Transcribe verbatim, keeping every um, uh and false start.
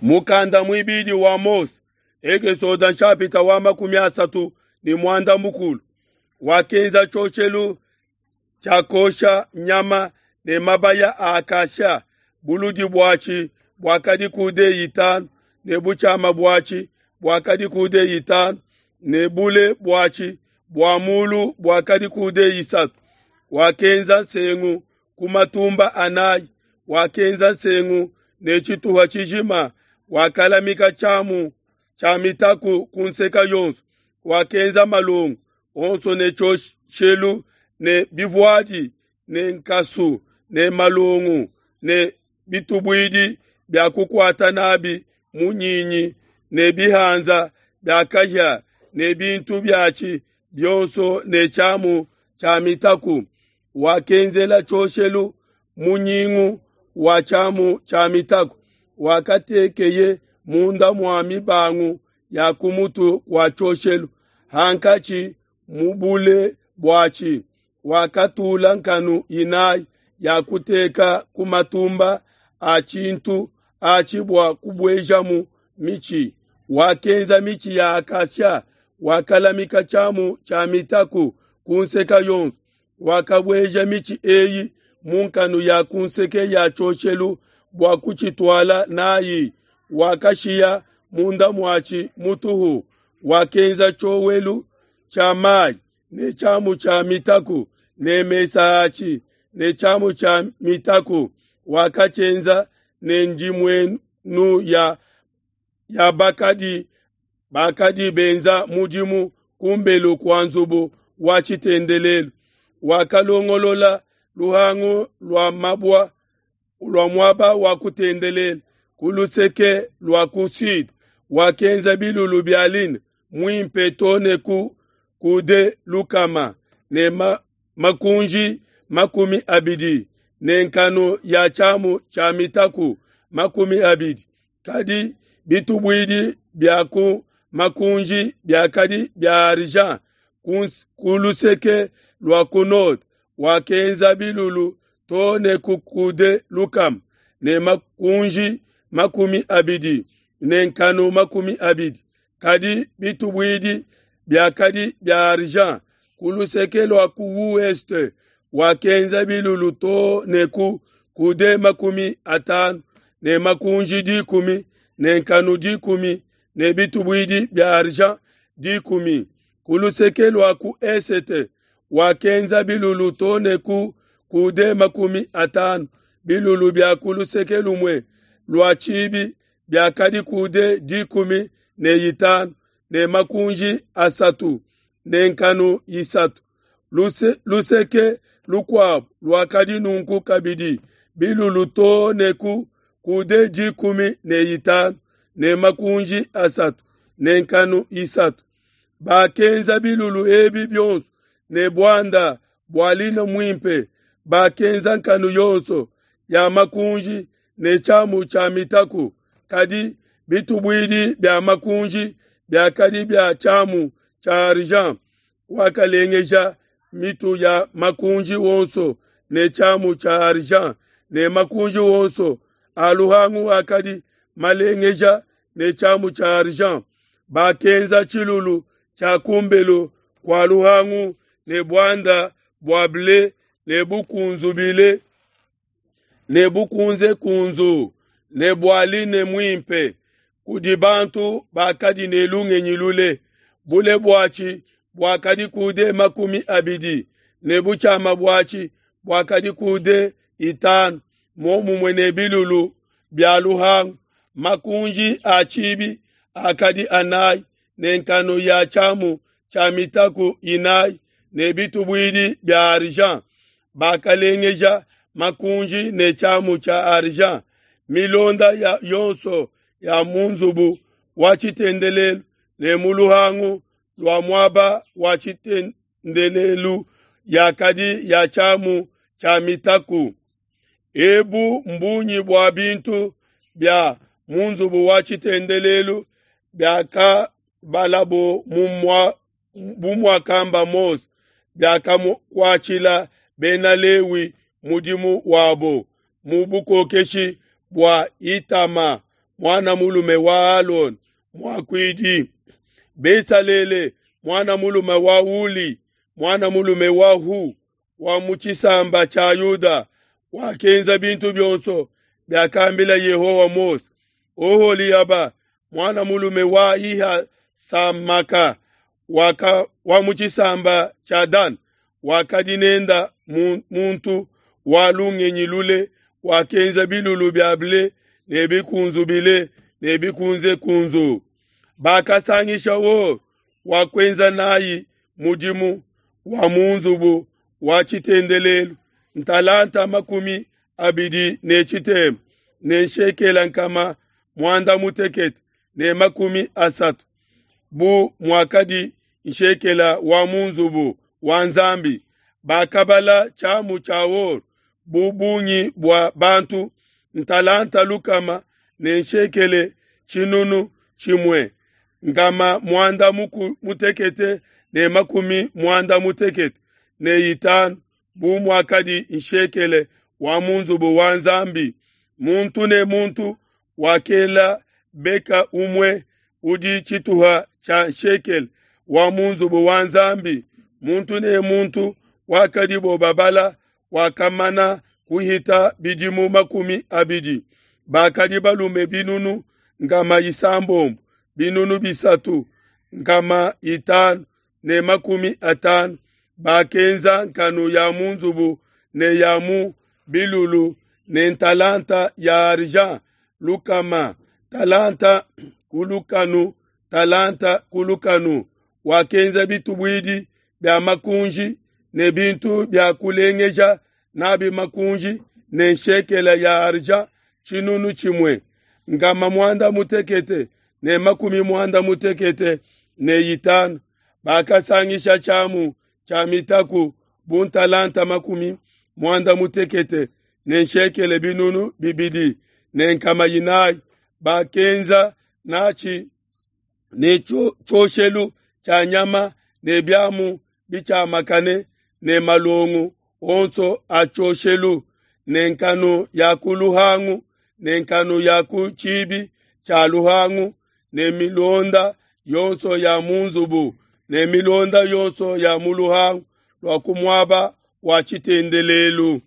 Mukanda muibidi wa Mose, Ekesode nshapita wa makumi asatu ne muanda mukulu, wakenza tshioshelu tshia kosha nyama ne mabaya a acacia, buludi buatshi buakadi coude itanu ne butshiama buatshi buakadi coude itanu ne bule buatshi bua mulu buakadi coude isatu. Wakenza nsengu ku matumba anayi, wakenza nsengu ne tshituha tshijima, wakalamika tshiamu tshia mitaku ku nseke yonso, wakenza malongo onso ne tshioshelu ne bivuadi ne nkasu ne malongo ne bitubuidi bia kukuata nabi munyinyi ne bihanza bia kahia ne bintu biatshi bionso ne tshiamu tshia mitaku. Wakenzela tshioshelu munyingu wa tshiamu tshia mitaku, wakatekeye munda mua mibangu ya ku mutu kua tshioshelu hankatshi mu bule buatshi. Wakatula nkanu inayi ya kuteka ku matumba a tshintu atshi bua kubuejamu mitshi. Wakenza mitshi ya acacia, wakalamika tshiamu tshia mitaku ku nseke yonso. Wakabueja mitshi eyi mu nkanu ya ku nseke ya tshioshelu bua kutshituala nayi. Wakashiya munda muatshi mutuhu. Wakenza tshiowelu tshia mayi ne tshiamu tshia mitaku ne mesa atshi ne tshiamu tshia mitaku. Wakatshienza ne ndimuenu ya, ya bakadi bakadi benza mudimu kumbelu kua nzubu wa tshitendelelu. Wakalongolola luhangu lua mabua lua muaba wa kutendelela ku luseke lua ku sud. Wakenza bilulu bia lin muimpe too ne ku coude lukama ne ma, makunji makumi abidi ne nkanu ya tshiamu tshia mitaku makumi abidi. Kadi bitubuidi bia ku makunji biakadi bia argent ku luseke lua ku nord. Wakenza bilulu too ne ku coude lukama ne makunji makumi abidi ne nkanu makumi abidi. Kadi bitubuidi biakadi bia argent ku luseke lua ku ouest. Wakenza bilulu too ne ku coude makumi atanu ne makunji dikumi ne nkanu dikumi ne bitubuidi bia argent dikumi. Ku luseke lua ku esete wakenza bilulu too ne ku coude makumi atanu. Bilulu bia ku luseke lumue lua tshibi biakadi coude dikumi ne itanu ne makunji asatu ne nkanu isatu. Luse, luseke lukuabu luakadi nunku kabidi bilulu too ne ku coude dikumi ne itanu ne makunji asatu ne nkanu isatu. Bakenza bilulu ebi bionso ne buanda bua lino muimpe. Bakenza nkanu yonso ya makunji ne tshiamu tshia mitaku. Kadi bitubuidi bia makunji biakadi bia tshiamu tshia argent. Wakalengeja mitu ya makunji wonso ne tshiamu tshia argent ne makunji wonso a luhangu akadi malengeja ne tshiamu tshia argent. Bakenza tshilulu tshia kumbelu kua luhangu ne buanda bua ble ne bukunzubile ne bukunzekunzu ne bua line muimpe kudi bantu bakadi ne lungenyi lule. Bule buatshi buakadi coude makumi abidi ne butshiama buatshi buakadi coude itanu, muomumue ne bilulu bia luhangu. Makunji a tshibi akadi anayi ne nkanu ya tshiamu tshia mitaku inayi ne bitubuidi bia argent. Bakalengeja makunji ne tshiamu tshia argent. Milonda ya yonso ya mu nzubu wa tshitendelelu ne mu luhangu lua muaba wa tshitendelelu yakadi ya tshiamu tshia mitaku. Ebu mbunyi bua bintu bia mu nzubu wa tshitendelelu biakabalabo bu muakamba Mose, biakakuatshila Bena Lewi mudimu wabo mu bukokeshi bua Itama muana mulume wa Alona muakuidi, Besalele muana mulume wa Uli muana mulume wa Hu wa mu tshisamba tshia Yuda wakenza bintu bionso biakambila Yehowa Mose. Oholiaba muana mulume wa Ahisamaka waka, wa mu tshisamba tshia Dan wakadi nenda muntu wa lungenyi lule wakenza bilulu bia ble ne bikunzubile ne bikunzekunzu. Bakasangisha or wa kuenza nayi mudimu wa mu nzubu wa tshitendelelu ntalanta makumi abidi ne tshitema ne nshekela nkama muanda mutekete ne makumi asatu bu muakadi nshekela wa mu nzubu wa Nzambi. Bakabala tshiamu tshia or bu bungi bua bantu ntalanta lukama ne nshekele tshinunu tshimue nkama muanda mutekete ne makumi muanda mutekete ne itanu bu muakadi nshekele wa mu nzubu wa Nzambi. Muntu ne muntu wakela beka umue udi tshituha tshia nshekele wa mu nzubu wa Nzambi. Muntu ne muntu wakadibo babala wakamana kuhita bidimu makumi abidi. Bakadi balume binunu nkama isambombo binunu bisatu nkama itanu ne makumi atanu. Bakenza nkanu ya mu nzubu ne ya mu bilulu ne ntalanta ya argent lukama, talanta ku lukanu, talanta ku lukanu. Wakenza bitubuidi bia makunji ne bintu bia kulengeja nabi makunji ne nshekela ya argent tshinunu tshimue nkama muanda mutekete ne makumi muanda mutekete ne itanu. Bakasangisha tshiamu tshia mitaku bu ntalanta makumi muanda mutekete ne nshekele binunu bibidi ne nkama inayi. Bakenza natshi ne tshioshelu tshia nyama ne biamu bitshiamakane ne malongo onso a tshioshelu ne nkanu ya ku luhangu ne nkanu ya ku tshibi tshia luhangu ne milonda yonso ya mu nzubu ne milonda yonso ya mu luhangu lua ku muaba wa tshitendelelu.